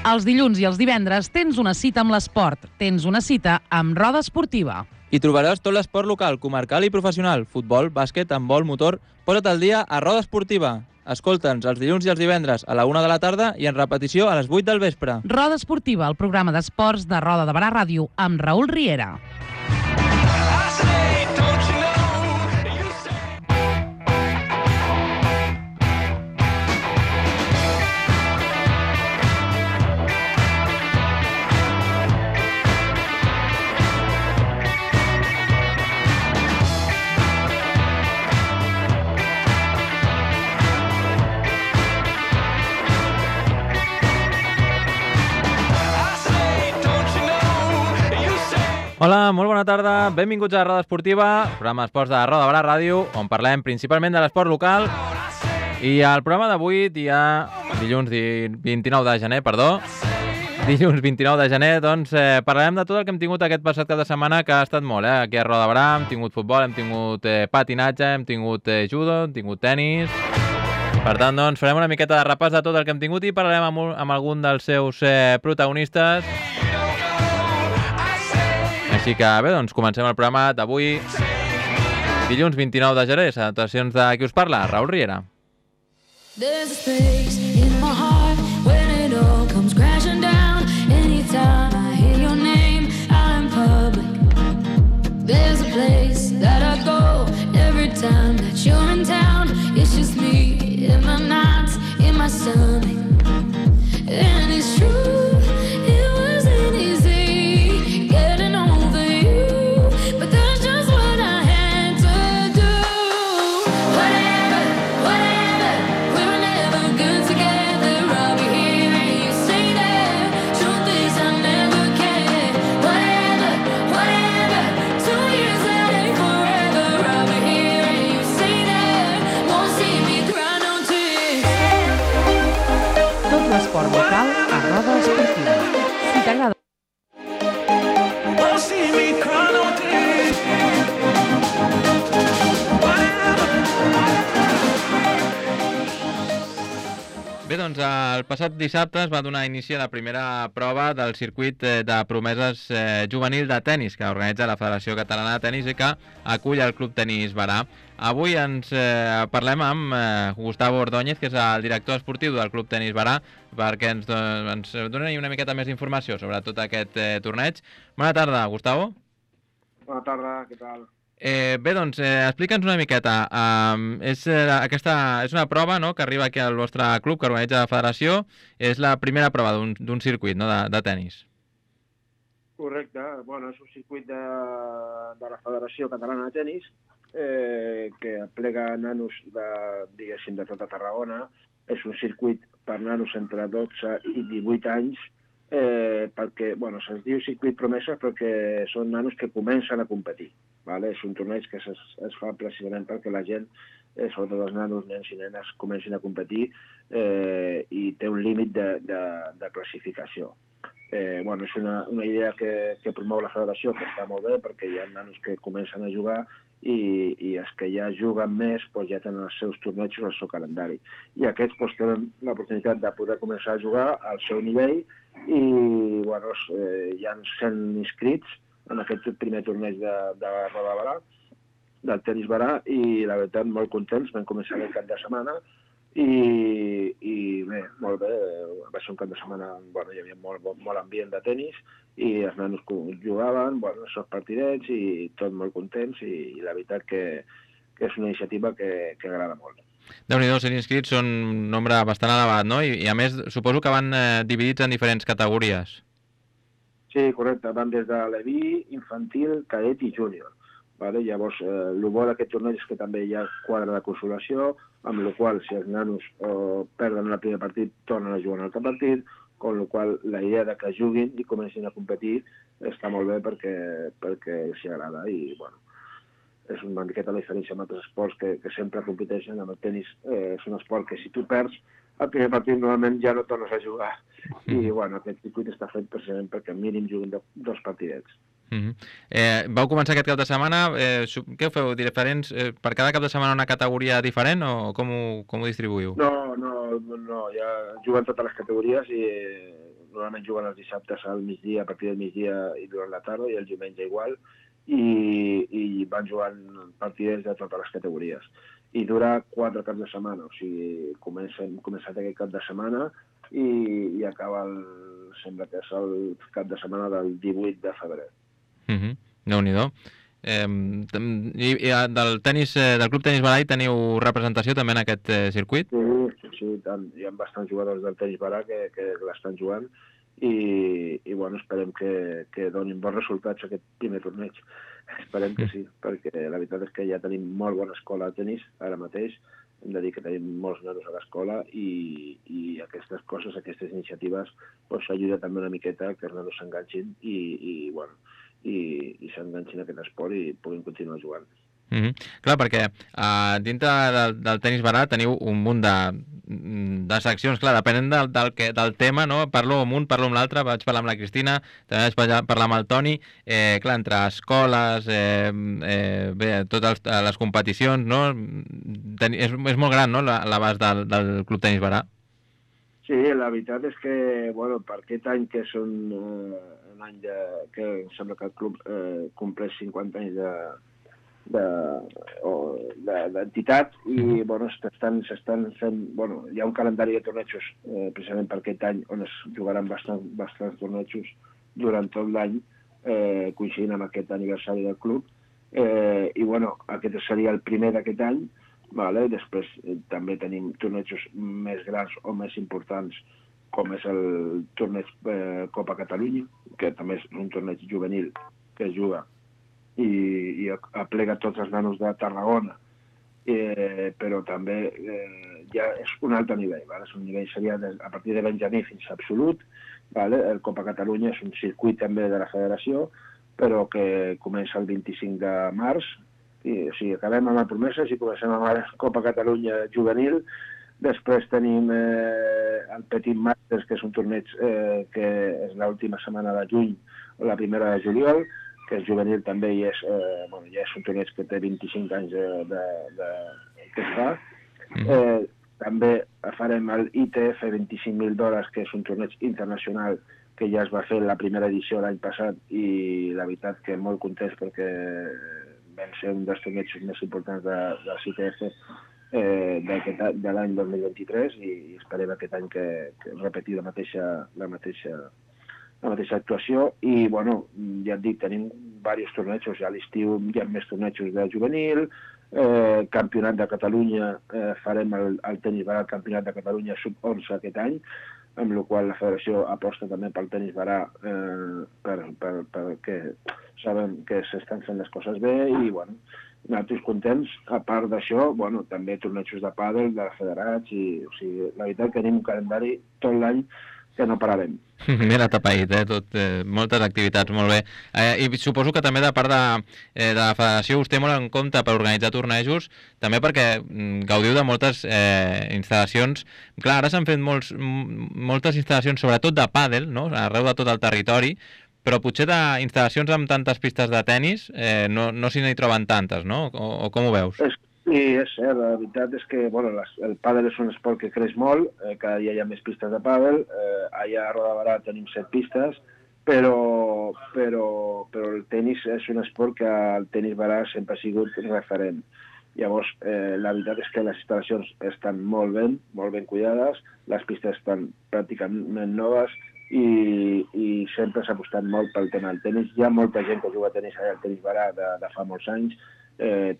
Els dilluns i els divendres tens una cita amb l'esport, tens una cita amb Roda Esportiva. Hi trobaràs tot l'esport local, comarcal i professional, futbol, bàsquet, handbol, motor. Posa't al dia a Roda Esportiva. Escolta'ns els dilluns i els divendres a la 1 de la tarda i en repetició a les 8 del vespre. Roda Esportiva, el programa d'esports de Roda de Barà Ràdio, amb Raül Riera. Hola, molt bona tarda, benvinguts a Roda Esportiva, programa d'esports de Roda de Barà Ràdio, on parlem principalment de l'esport local. I al programa d'avui, dilluns 29 de gener, dilluns 29 de gener, doncs parlarem de tot el que hem tingut aquest passat cap de setmana, que ha estat molt, aquí a Roda de Barà. Hem tingut futbol, hem tingut patinatge, hem tingut judo, hem tingut tenis. Per tant, doncs, farem una miqueta de repàs de tot el que hem tingut i parlarem amb algun dels seus protagonistes. Així que bé, doncs comencem el programa d'avui, dilluns 29 de gener. Salutacions de qui us parla, Raül Riera. There's a space in my heart when it all comes crashing down. Anytime I hear your name out in public. There's a place that I go every time that you're in town. It's just me in my nights, in my stomach. And it's true. L'esport local a Roda Esportiva. Si t'agrada... Bé, doncs el passat dissabte es va donar inici a la primera prova del circuit de promeses juvenil de tennis que organitza la Federació Catalana de Tenis i que acull el Club Tenis Barà. Avui ens parlem amb Gustavo Ordóñez, que és el director esportiu del Club Tenis Barà, perquè ens doni una miqueta més d'informació sobre tot aquest torneig. Bona tarda, Gustavo. Bona tarda, què tal? Bé, doncs, explica'ns una miqueta. És una prova, no?, que arriba aquí al vostre club, que organitza la federació. És la primera prova d'un circuit, no?, de tennis. Correcte. Bueno, és un circuit de la Federació Catalana de Tenis que aplega nanos diguéssim, de tota Tarragona. És un circuit per nanos entre 12 i 18 anys, perquè, bueno, se'ls diu circuit promesa perquè són nanos que comencen a competir. Vale? És un torneig que es fa precisament perquè la gent, sobretot els nanos, nens i nenes, comencin a competir i té un límit de classificació. Bueno, és una idea que promou la federació, que està molt bé, perquè hi ha nanos que comencen a jugar i els que ja juguen més ja tenen els seus tornejos al seu calendari. I aquests tenen l'oportunitat de poder començar a jugar al seu nivell i bueno, hi ha 100 inscrits en aquest primer torneig de Roda de Barà, del Tenis Barà, i la veritat molt contents. Vam començar el cap de setmana i bé, molt bé, va ser un cap de setmana, bueno, hi havia molt ambient de tenis i els nanos jugaven, bueno, els partidets i tot molt contents i la veritat que és una iniciativa que agrada molt. Déu-n'hi-do, 100 inscrits són un nombre bastant elevat, no? I a més, suposo que van dividits en diferents categories. Sí, correcte. Van des de Leví, infantil, cadet i júnior. Vale? Llavors, el bo d'aquest torneig és que també hi ha quadre de consolació, amb la qual si els nanos perden el primer partit, tornen a jugar en l'altre partit, amb la qual la idea de que juguin i comencin a competir està molt bé perquè els agrada i, bueno, és una miqueta la diferència amb altres esports que sempre competeixen. Amb el tenis és un esport que si tu perds el primer partit normalment ja no tornes a jugar i bueno, aquest circuit està fet precisament perquè mínim juguin 2 partidets. Vau començar aquest cap de setmana, què ho feu? Diferents, per cada cap de setmana una categoria diferent o com ho distribuïu? No, ja juguen totes les categories i normalment juguen els dissabtes al migdia, a partir del migdia i durant la tarda, i el diumenge igual, i van jugant partidets de totes les categories. I dura 4 caps de setmana, o sigui, començat aquest cap de setmana i acaba, sembla que és el cap de setmana del 18 de febrer. Déu-n'hi-do. I del Club Tenis Barà teniu representació també en aquest circuit? Sí, tant. Hi ha bastants jugadors del Tenis Barà que l'estan jugant i bueno, esperem que donin bons resultats aquest primer torneig. Esperem que sí, perquè la veritat és que ja tenim molt bona escola de tenis ara mateix. Hem de dir que tenim molts nanos a l'escola i aquestes coses, aquestes iniciatives, ajuden també una miqueta que els nanos s'enganxin i s'enganxin a aquest esport i puguin continuar jugant. Clar, perquè dintre del Tenis Barà teniu un munt de seccions, clar, depenent del tema, no? Parlo amb un, parlo amb l'altre, vaig parlar amb la Cristina, també vaig parlar amb el Toni, clar, entre escoles, totes les competicions, no? És molt gran, no?, l'abast del Club Tenis Barà. Sí, la veritat és que, bueno, per aquest any que és un any que em sembla que el club compleix 50 anys d'entitat i bueno, s'estan fent, bueno, hi ha un calendari de tornejos precisament per aquest any on es jugaran bastants tornejos durant tot l'any coincidint amb aquest aniversari del club i bueno, aquest seria el primer d'aquest any, vale? Després també tenim tornejos més grans o més importants com és el torneig Copa Catalunya, que també és un torneig juvenil que es juga i aplega tots els nanos de Tarragona, però també ja és un altre nivell, ¿vale? És un nivell, seria a partir de benjamí fins a absolut, ¿vale? El Copa Catalunya és un circuit també de la federació, però que comença el 25 de març, o sigui, acabem amb el Promeses i comencem amb la Copa Catalunya juvenil. Després tenim el Petit Masters, que és un torneig que és l'última setmana de juny o la primera de juliol, que és juvenil també i és un torneig que té 25 anys que es fa. També farem el ITF $25.000, que és un torneig internacional que ja es va fer la primera edició l'any passat i la veritat que molt contents perquè vam ser un dels tornejos més importants del ITF de l'any 2023 i esperem aquest any que repetir la mateixa actuació i, bueno, ja et dic, tenim diversos tornejos, ja a l'estiu hi ha més tornejos de juvenil, campionat de Catalunya, farem el Tenis Barà, el campionat de Catalunya sub-11 aquest any, amb la qual la federació aposta també pel Tenis Barà perquè sabem que s'estan fent les coses bé i, bueno, nosaltres contents. A part d'això, bueno, també tornejos de pàdel, de federats, o sigui, la veritat que tenim un calendari tot l'any que no pararem. Mira, tapaït, moltes activitats, molt bé. I suposo que també de part de la federació us té molt en compte per organitzar tornejos, també perquè gaudiu de moltes instal·lacions. Clar, ara s'han fet moltes instal·lacions, sobretot de pàdel, no?, arreu de tot el territori, però potser d'instal·lacions amb tantes pistes de tennis no s'hi n'hi troben tantes, no? O com ho veus? Sí, és cert, la veritat és que bueno, el pàdel és un esport que creix molt, cada dia hi ha més pistes de pàdel, allà a Roda de Barà tenim 7 pistes, però el tenis és un esport que el Tenis Barà sempre ha sigut referent. Llavors, la veritat és que les instal·lacions estan molt ben cuidades, les pistes estan pràcticament noves i sempre s'ha apostat molt pel tema del tenis. Hi ha molta gent que juga a tenis allà al Tenis Barà de fa molts anys,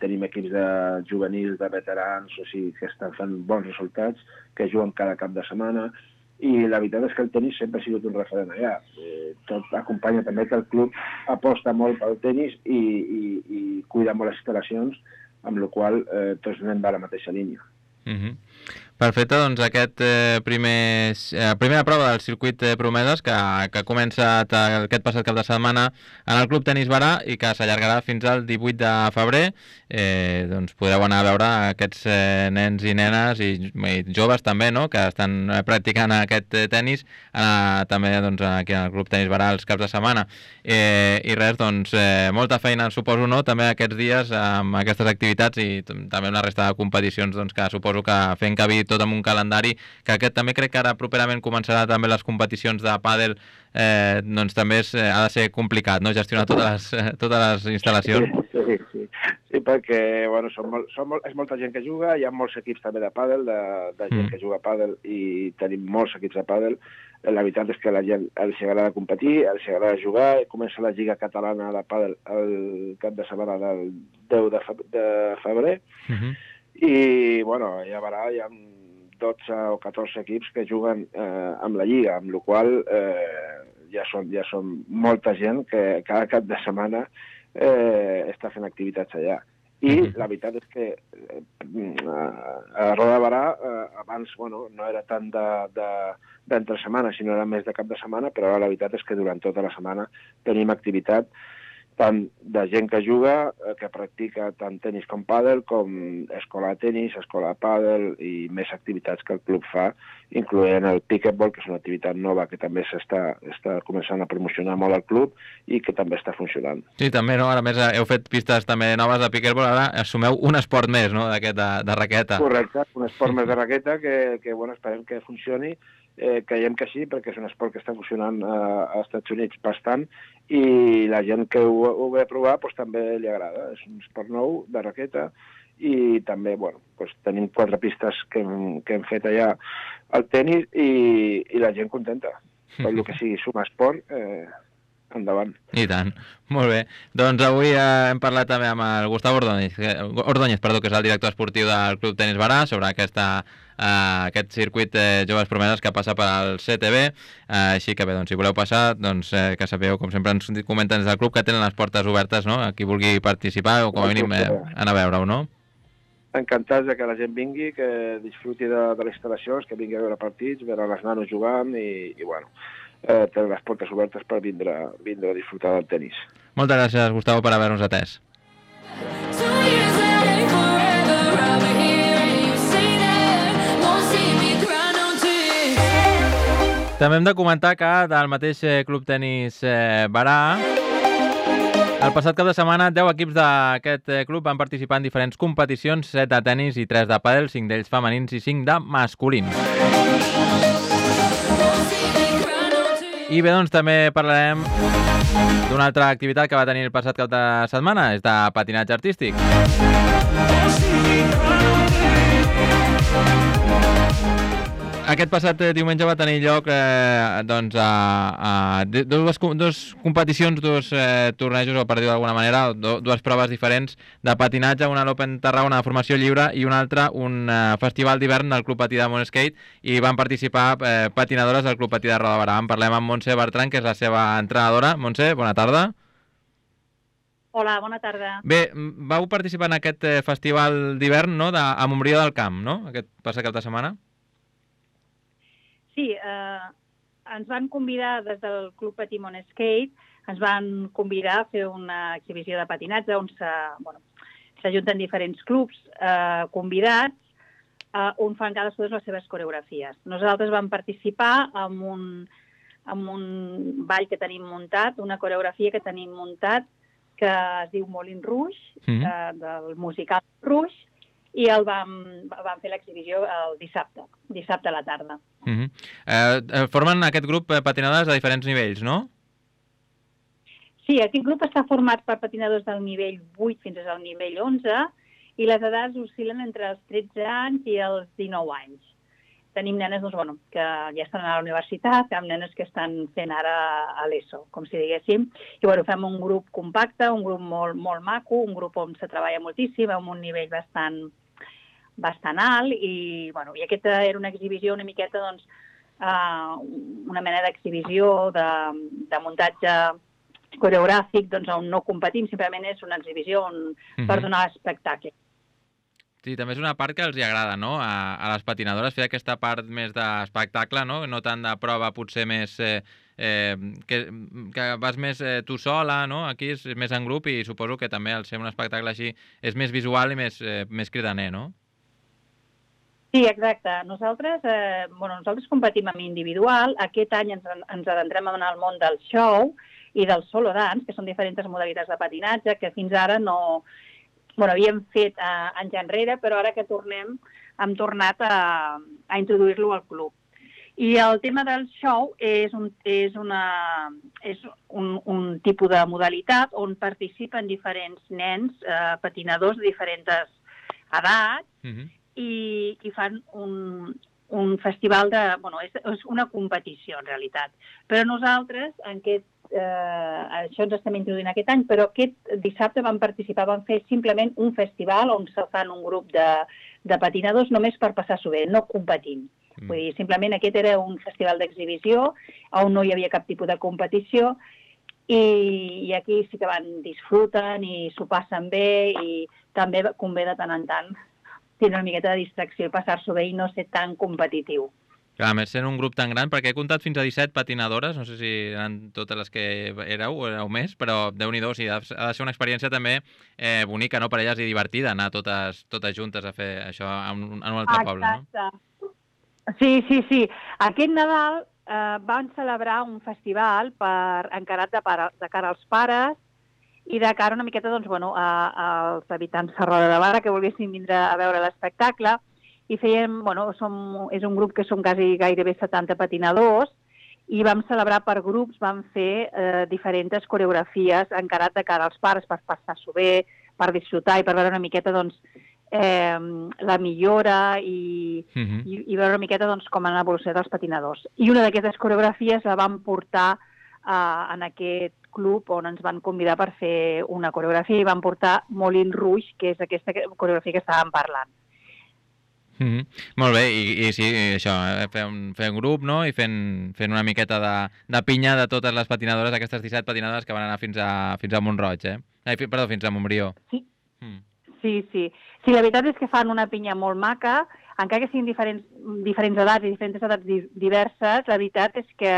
tenim equips de juvenils, de veterans, o sigui, que estan fent bons resultats, que juguen cada cap de setmana, i la veritat és que el tenis sempre ha sigut un referent allà. Tot acompanya també que el club aposta molt pel tenis i cuida molt les instal·lacions, amb la qual tots anem de la mateixa línia. Perfecte, doncs aquest primera prova del circuit Promeses que ha començat aquest passat cap de setmana en el Club Tenis Barà i que s'allargarà fins al 18 de febrer. Doncs podreu anar a veure aquests nens i nenes i joves també, no?, que estan practicant aquest tenis també doncs, aquí al Club Tenis Barà els caps de setmana. I res, doncs molta feina suposo, no?, també aquests dies amb aquestes activitats i també amb la resta de competicions doncs, que suposo que fent cabir tot amb un calendari, que aquest també crec que ara properament començarà també les competicions de pàdel, doncs també ha de ser complicat, no?, gestionar totes les instal·lacions. Sí, perquè bueno, és molta gent que juga, hi ha molts equips també de pàdel, de gent que juga a pàdel, i tenim molts equips de pàdel. La veritat és que a la gent els agrada competir, els agrada jugar. Comença la Lliga Catalana de Pàdel el cap de setmana del 10 de febrer. I, bueno, ja veurà, hi ha 12 o 14 equips que juguen amb la Lliga, amb la qual ja són molta gent que cada cap de setmana està fent activitats allà. I la veritat és que a Roda de Barà abans no era tant d'entre setmana, sinó era més de cap de setmana, però la veritat és que durant tota la setmana tenim activitat tant de gent que juga, que practica tant tenis com pàdel, com escola de tenis, escola de pàdel i més activitats que el club fa, incloent el pickleball, que és una activitat nova que també està començant a promocionar molt al club i que també està funcionant. Sí, també, no? Ara més heu fet pistes també noves de pickleball, ara assumeu un esport més, no?, d'aquest de raqueta. Correcte, un esport més de raqueta que bueno, esperem que funcioni. Creiem que sí, perquè és un esport que està funcionant als Estats Units bastant i la gent que ho ve a provar doncs, també li agrada. És un esport nou de raqueta i també doncs, tenim 4 pistes que hem fet allà al tenis i la gent contenta. Tot el que sigui sumar esport, endavant. I tant. Molt bé. Doncs avui hem parlat també amb el Gustavo Ordóñez, que és el director esportiu del Club Tenis Barà, sobre aquest circuit Joves Promeses que passa per al CTB. Així que bé, doncs, si voleu passar, doncs, que sapigueu, com sempre ens comenten des del club, que tenen les portes obertes, no?, a qui vulgui participar o com a mínim anar a veure-ho, no? Encantats que la gent vingui, que disfruti de les instal·lacions, que vingui a veure partits, veure les nanos jugant i bueno, tenen les portes obertes per vindre a disfrutar del tenis. Moltes gràcies, Gustavo, per haver-nos atès. També hem de comentar que del mateix Club Tenis Barà, el passat cap de setmana 10 equips d'aquest club van participar en diferents competicions, 7 de tenis i 3 de pàdel, 5 d'ells femenins i 5 de masculins. I bé, doncs també parlarem d'una altra activitat que va tenir el passat cap de setmana, és de patinatge artístic. Aquest passat diumenge va tenir lloc dues competicions, dos tornejos, o per dir-ho d'alguna manera, dues proves diferents de patinatge, una a l'Open Tarragona de formació lliure i una altra un festival d'hivern del Club Patí de Montskate, i van participar patinadores del Club Patí de Roda de Barà. En parlem amb Montse Bertran, que és la seva entrenadora. Montse, bona tarda. Hola, bona tarda. Bé, vau participar en aquest festival d'hivern, no?, a Montbrió del Camp, no?, aquest passat cap de setmana? Sí, ens van convidar des del Club Patí Montskate, ens van convidar a fer una exhibició de patinatge on s'ajunten diferents clubs convidats on fan cadascú les seves coreografies. Nosaltres vam participar en un ball que tenim muntat, una coreografia que tenim muntat que es diu Moulin Rouge, del musical Rouge, i vam fer l'exhibició el dissabte a la tarda. Formen aquest grup patinadores de diferents nivells, no? Sí, aquest grup està format per patinadors del nivell 8 fins al nivell 11 i les edats oscil·len entre els 13 anys i els 19 anys. Tenim nenes que ja estan a la universitat, tenim nenes que estan fent ara a l'ESO, com si diguéssim. I fem un grup compacte, un grup molt maco, un grup on se treballa moltíssim, amb un nivell bastant alt, i aquesta era una exhibició una miqueta, una mena d'exhibició de muntatge coreogràfic, on no competim, simplement és una exhibició per donar espectacle. Sí, també és una part que els agrada, no?, a les patinadores, fer aquesta part més d'espectacle, no tant de prova, potser més... que vas més tu sola, no?, aquí és més en grup, i suposo que també al ser un espectacle així és més visual i més cridaner, no? Sí, exacte. Nosaltres competim en individual. Aquest any ens adentrem en el món del show i del solo dance, que són diferents modalitats de patinatge, que fins ara no... havíem fet anys enrere, però ara que tornem hem tornat a introduir-lo al club. I el tema del show és un tipus de modalitat on participen diferents nens, patinadors de diferents edats, i fan un festival de... Bueno, és una competició, en realitat. Però nosaltres, això ens estem introduint aquest any, però aquest dissabte vam participar, vam fer simplement un festival on se fan un grup de patinadors només per passar-s'ho bé, no competint. Vull dir, simplement aquest era un festival d'exhibició on no hi havia cap tipus de competició i aquí sí que disfruten i s'ho passen bé i també convé de tant en tant tenir una miqueta de distracció i passar-s'ho bé i no ser tan competitiu. Clar, a més, sent un grup tan gran, perquè he comptat fins a 17 patinadores, no sé si eren totes les que éreu o éreu més, però Déu-n'hi-do, sí, ha de ser una experiència també bonica, no, per elles i divertida, anar totes juntes a fer això en un altre poble, no? Exacte. Sí. Aquest Nadal van celebrar un festival encarat de cara als pares i de cara una miqueta als habitants de Roda de Barra que volguessin vindre a veure l'espectacle i fèiem, és un grup que som gairebé 70 patinadors i vam celebrar per grups, vam fer diferents coreografies encarat de cara als pares per passar-s'ho bé, per disfrutar i per veure una miqueta la millora i veure una miqueta com han evolucionat els patinadors. I una d'aquestes coreografies la vam portar en aquest club on ens van convidar per fer una coreografia i van portar Moulin Rouge, que és aquesta coreografia que estàvem parlant. Molt bé, i sí, això, fer un grup, no?, i fent una miqueta de pinya de totes les patinadores, aquestes 17 patinadores que van anar fins a Mont-roig, Perdó, fins a Montbrió. Sí. Sí, la veritat és que fan una pinya molt maca, encara que siguin diferents edats i diferents edats diverses, la veritat és que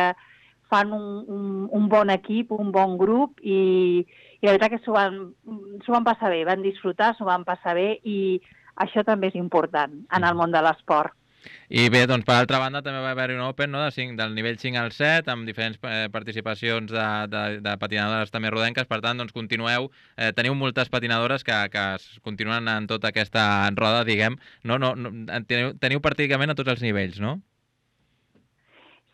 fan un bon equip, un bon grup i la veritat que s'ho van passar bé, van disfrutar, s'ho van passar bé i això també és important en el món de l'esport. I bé, doncs, per altra banda, també va haver-hi un Open, no?, del nivell 5 al 7, amb diferents participacions de patinadores també rodenques. Per tant, doncs, continueu, teniu moltes patinadores que continuen en tota aquesta roda, diguem, no? Teniu pràcticament a tots els nivells, no?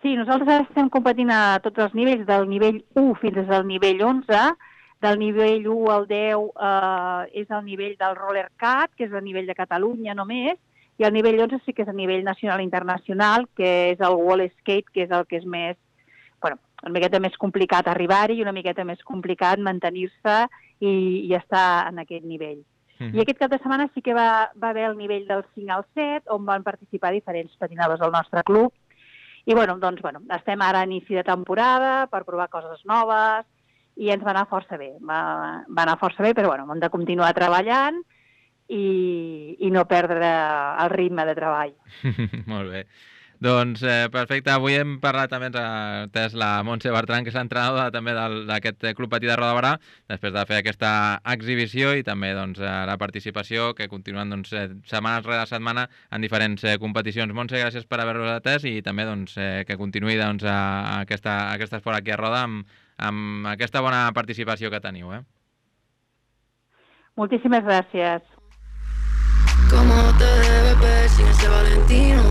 Sí, nosaltres estem competint a tots els nivells, del nivell 1 fins al nivell 11. Del nivell 1 al 10 és el nivell del roller cat, que és el nivell de Catalunya només, i el nivell 11 sí que és a nivell nacional i internacional, que és el wall skate, que és el que és més, una miqueta més complicat arribar-hi i una miqueta més complicat mantenir-se i estar en aquest nivell. I aquest cap de setmana sí que va haver el nivell del 5 al 7, on van participar diferents patinadors del nostre club. I estem ara a inici de temporada per provar coses noves i ens va anar força bé. Va anar força bé, però hem de continuar treballant i no perdre el ritme de treball. Molt bé. Doncs perfecte, avui hem parlat també, ens la Montse Bertran, que és l'entrenadora també d'aquest Club Patí de Roda de Barà, després de fer aquesta exhibició i també la participació que continuen setmana rere setmana en diferents competicions. Montse, gràcies per haver-nos atès i també que continuï aquest esport aquí a Roda amb aquesta bona participació que teniu. Moltíssimes gràcies. ¿Cómo te debes ver sin ese Valentino?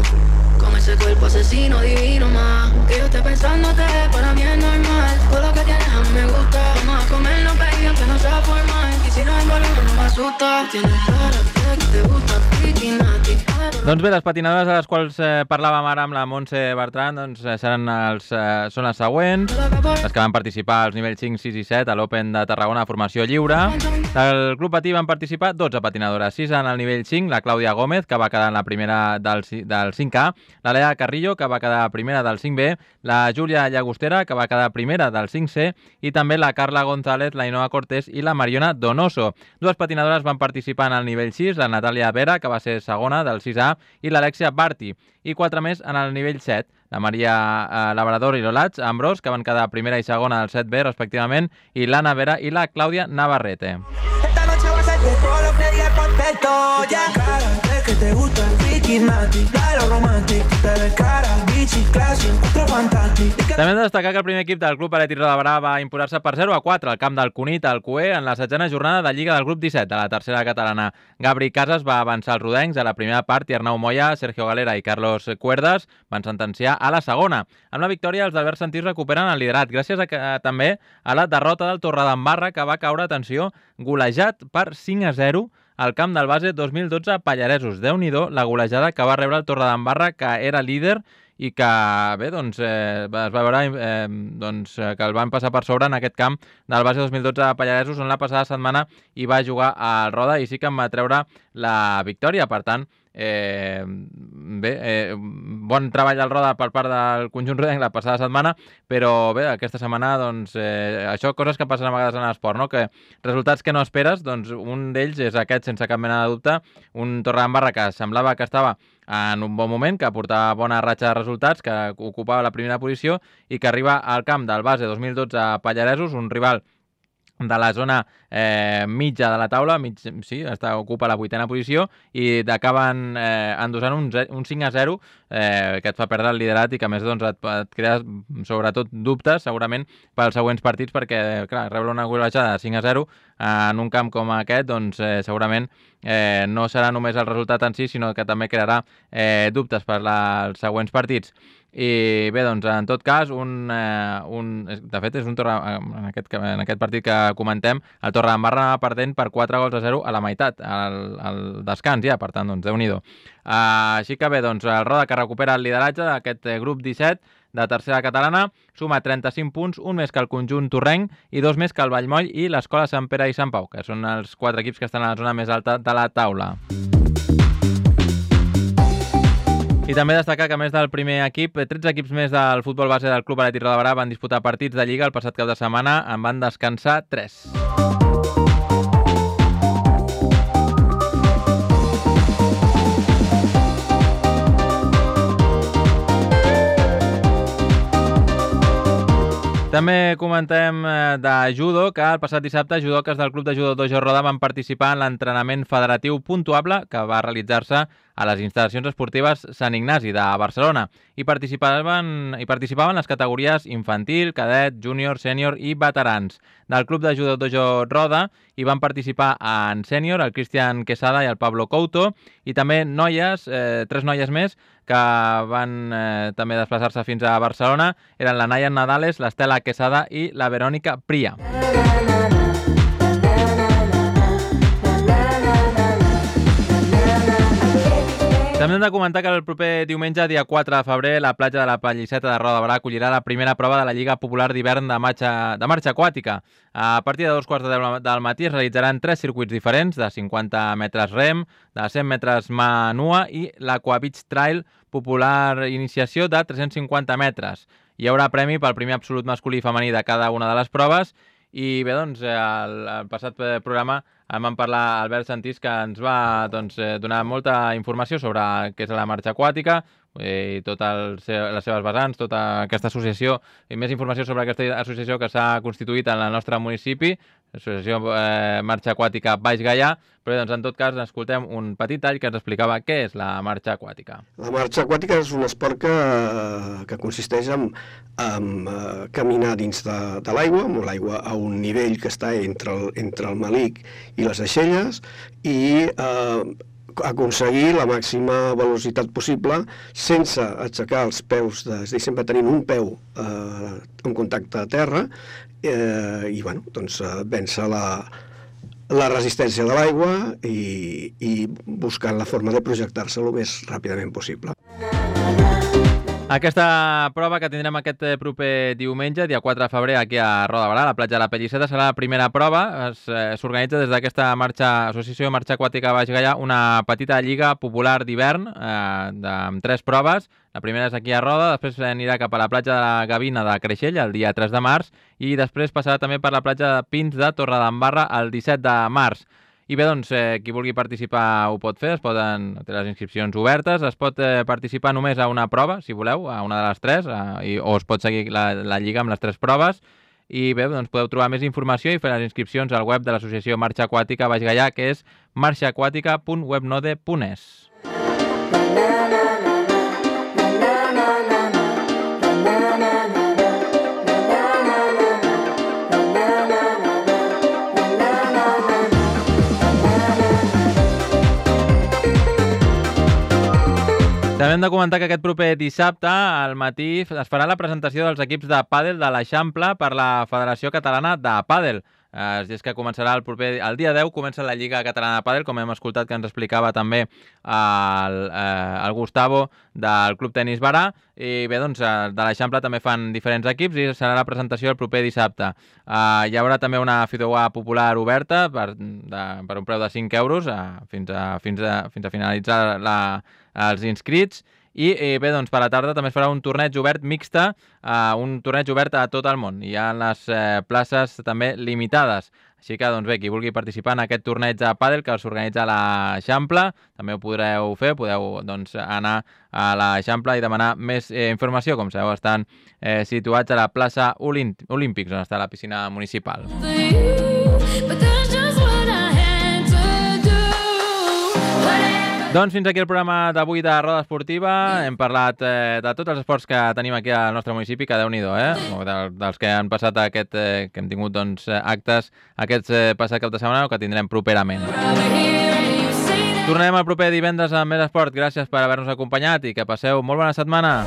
Con ese cuerpo asesino divino más. Que yo esté pensándote, para mí es normal. Todo lo que tienes a mí me gusta. Vamos a comernos, baby, aunque no sea formal. Y si nos envolvemos no me asusta. Tienes cara que te gusta, piquinati. Doncs bé, les patinadores de les quals parlàvem ara amb la Montse Bertran són les següents, les que van participar als nivells 5, 6 i 7 a l'Open de Tarragona de formació lliure. Del Club Patí van participar 12 patinadores, 6 en el nivell 5, la Clàudia Gómez, que va quedar en la primera del 5A, la Lea Carrillo, que va quedar primera del 5B, la Júlia Llagostera, que va quedar primera del 5C, i també la Carla González, la Ainhoa Cortés i la Mariona Donoso. Dues patinadores van participar en el nivell 6, la Natàlia Vera, que va ser segona del 6A, i l'Alexia Barti, i 4 més en el nivell 7, la Maria Labrador i l'Olats Ambrós, que van quedar primera i segona del 7B, respectivament, i l'Anna Vera i la Clàudia Navarrete. Esta noche va a ser todo lo que diga perfecto, ya. Que te gusta el kidnapping, l'aeroromantic, tutte le cara, bici, classi, quattro fantasti. També hem de destacar que el primer equip del Club Atlètic Roda de Berà va imposar-se per 0-4 al camp del Cunit, al Cué, en la 7a jornada de Lliga del grup 17 de la tercera catalana. Gabri Casas va avançar els rodencs a la primera part i Arnau Moya, Sergio Galera i Carlos Cuerdas van sentenciar a la segona. Amb la victòria, els d'Albert Santís recuperen el liderat, gràcies també a la derrota del Torredembarra, que va caure, atenció, golejat per 5-0 al camp del base 2012 a Pallaresos. Déu-n'hi-do la golejada que va rebre el Torredembarra, que era líder i que, bé, doncs, es va veure que el van passar per sobre en aquest camp del base 2012 a Pallaresos, on la passada setmana hi va jugar al Roda i sí que en va treure la victòria. Per tant, bon treball del Roda per part del conjunt rodenc la passada setmana, però bé, aquesta setmana, doncs, això, coses que passen a vegades en l'esport, no? Que resultats que no esperes, doncs un d'ells és aquest, sense cap mena de dubte, un Torredembarra que semblava que estava en un bon moment, que portava bona ratxa de resultats, que ocupava la primera posició i que arriba al camp del base 2012 a Pallaresos, un rival de la zona mitja de la taula, ocupa la 8a posició i acaben endossant un 5-0 que et fa perdre el liderat i que a més doncs, et crea sobretot dubtes segurament pels següents partits, perquè clar, rebre una golejada de 5-0 en un camp com aquest doncs, segurament no serà només el resultat en si, sinó que també crearà dubtes per als següents partits. I bé, doncs, en tot cas, de fet, és un en aquest partit que comentem, el Torredembarra anava perdent per 4-0 a la meitat, al descans ja, per tant, doncs, Déu-n'hi-do. Així que bé, doncs, el Roda que recupera el lideratge d'aquest grup 17 de tercera catalana, suma 35 punts, un més que el conjunt torrenc i dos més que el Vallmoll i l'Escola Sant Pere i Sant Pau, que són els 4 equips que estan a la zona més alta de la taula. I també destacar que, a més del primer equip, 13 equips més del futbol base del Club Atlètic Roda de Berà van disputar partits de Lliga el passat cap de setmana, en van descansar 3. També comentem de judo, que el passat dissabte judoques del Club de Judo Dojo Roda van participar en l'entrenament federatiu puntuable que va realitzar-se a les instal·lacions esportives Sant Ignasi de Barcelona i participaven les categories infantil, cadet, júnior, sènior i veterans. Del Club de Judo Dojo Roda hi van participar en sènior el Cristian Quesada i el Pablo Couto i també noies, 3 noies més, que van també desplaçar-se fins a Barcelona. Eren la Naya Nadales, l'Estela Quesada i la Verònica Pria. També hem de comentar que el proper diumenge, dia 4 de febrer, la platja de la Pallisseta de Roda de Berà acollirà la primera prova de la Lliga Popular d'Hivern de marxa aquàtica. A partir de 2:15 del matí es realitzaran 3 circuits diferents, de 50 metres rem, de 100 metres mà nua i l'Aqua Beach Trail Popular Iniciació de 350 metres. Hi haurà premi pel primer absolut masculí i femení de cada una de les proves. I bé, doncs, al passat programa en vam parlar Albert Santís, que ens va donar molta informació sobre què és la marxa aquàtica i totes les seves vessants, tota aquesta associació, i més informació sobre aquesta associació que s'ha constituït en el nostre municipi, l'associació Marxa Aquàtica Baix Gaià. Però doncs, en tot cas, escoltem un petit tall que ens explicava què és la marxa aquàtica. La marxa aquàtica és un esport que consisteix en caminar dins de l'aigua, amb l'aigua a un nivell que està entre el malic i les aixelles, i aconseguir la màxima velocitat possible sense aixecar els peus, és a dir, sempre tenint un peu en contacte a terra i bueno, doncs, vèncer la resistència de l'aigua i buscant la forma de projectar-se el més ràpidament possible. Aquesta prova que tindrem aquest proper diumenge, dia 4 de febrer, aquí a Roda de Berà, a la platja de la Pallisseta, serà la primera prova. S'organitza des d'aquesta associació Marxa Aquàtica Baix Gaià una petita lliga popular d'hivern amb 3 proves. La primera és aquí a Roda, després anirà cap a la platja de la Gavina de Creixell el dia 3 de març i després passarà també per la platja de Pins de Torredembarra el 17 de març. I bé, doncs, qui vulgui participar ho pot fer, té les inscripcions obertes, es pot participar només a una prova, si voleu, a una de les 3, o es pot seguir la lliga amb les 3 proves. I bé, doncs podeu trobar més informació i fer les inscripcions al web de l'associació Marxa Aquàtica Baix Gaià, que és marxaaquàtica.webnode.es. També hem de comentar que aquest proper dissabte al matí es farà la presentació dels equips de pàdel de l'Eixample per la Federació Catalana de Pàdel. És que començarà el dia 10, comença la Lliga Catalana de Pàdel, com hem escoltat que ens explicava també el Gustavo del Club Tenis Barà. I bé, doncs, de l'Eixample també fan diferents equips i serà la presentació el proper dissabte. Hi haurà també una fideuà popular oberta per un preu de 5 euros fins a finalitzar els inscrits. I bé, doncs per la tarda també es farà un torneig obert mixte, un torneig obert a tot el món. Hi ha les places també limitades. Així que, doncs bé, qui vulgui participar en aquest torneig de pàdel que s'organitza a l'Eixample, també ho podreu fer, podeu doncs, anar a l'Eixample i demanar més informació. Com sabeu, estan situats a la plaça Olímpics, on està la piscina municipal. Doncs fins aquí el programa d'avui de Roda Esportiva. Hem parlat de tots els esports que tenim aquí al nostre municipi, que Déu-n'hi-do, dels que han passat que hem tingut doncs, actes aquest passat cap de setmana o que tindrem properament. Tornarem el proper divendres amb més esport. Gràcies per haver-nos acompanyat i que passeu molt bona setmana.